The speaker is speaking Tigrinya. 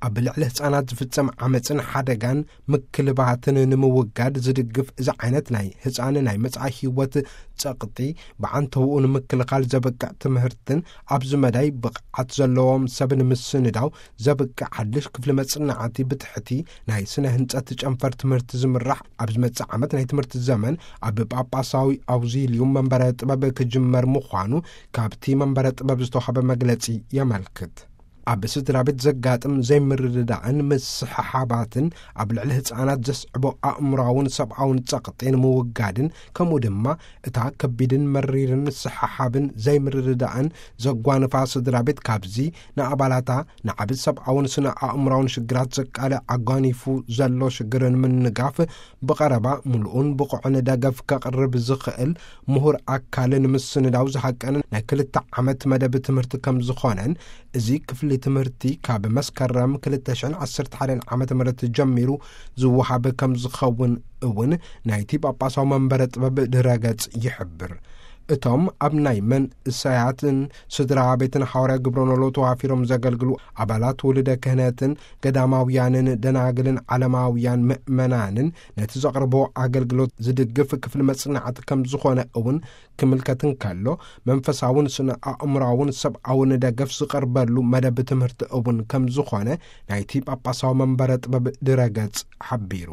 ኣብ ልዕሊ ህጻናት ዝፍጸም ዓመጽን ሓደጋን ምክልባትን ንምውጋድ ዝድግፍ እዚ ዓይነት ናይ ህጻን ናይ መጻኢ ህይወት ጸቕጢ ብዓንተውኡ ንምክልኻል ዘብቅዕ ትምህርትን ኣብዚ መዳይ ብቕዓት ዘለዎም ሰብ ንምስንዳው ዘብቅዕ ሓድሽ ክፍሊ መጽናዕቲ ብትሕቲ ናይ ስነ ህንጸት ጨንፈር ትምህርቲ ዝምራሕ ኣብ ዝመጽእ ዓመት ናይ ትምህርቲ ዘመን ኣብ ጳጳሳዊ ኣውዚልዩም መንበረ ጥበብ ክጅመር ምዃኑ ካብቲ መንበረ ጥበብ ዝተዋህበ መግለጺ የመልክት። ኣብ ስድራ ቤት ዘጋጥም ዘይምርድዳእን ምስሕሓባትን ኣብ ልዕሊ ህጻናት ዘስዕቦ ኣእምሮኣውን ሰብኣውን ጸቕጢ ንምውጋድን ከምኡ ድማ እታ ከቢድን መሪርን ምስሕሓብን ዘይምርድዳእን ዘጓንፋ ስድራ ቤት ካብዚ ንኣባላታ ንዓቢ ሰብኣውን ስነ ኣእምሮኣውን ሽግራት ዘቃልዕ ኣጓኒፉ ዘሎ ሽግርን ምንጋፍ ብቐረባ ምሉኡን ብቑዕን ደገፍ ከቕርብ ዝኽእል ምሁር ኣካል ንምስንዳው ዝሃቀነ ናይ ክልተ ዓመት መደብ ትምህርቲ ከም ዝኾነን እዚ ክፍሊ ትምህርቲ ካብ መስከረም ክልተ ሽሕን ዓሰርተ ሓደን ዓመተ ምህረት ጀሚሩ ዝወሃብ ከም ዝኸውን እውን ናይቲ ጳጳሳዊ መንበረ ጥበብ ድረገጽ ይሕብር። እቶም ኣብ ናይ መንእሰያትን ስድራ ቤትን ሓዋርያ ግብረ ኖሎ ተዋፊሮም ዘገልግሉ ኣባላት ውልደ ክህነትን ገዳማውያንን ደናግልን ዓለማውያን ምእመናንን ነቲ ዘቕርቦ ኣገልግሎት ዝድግፍ ክፍሊ መጽናዕቲ ከም ዝኾነ እውን ክምልከት እንከሎ፣ መንፈሳውን ስነ ኣእምሮኣውን ሰብኣውን ደገፍ ዝቐርበሉ መደብ ትምህርቲ እውን ከም ዝኾነ ናይቲ ጳጳሳዊ መንበረ ጥበብ ድረገጽ ሓቢሩ።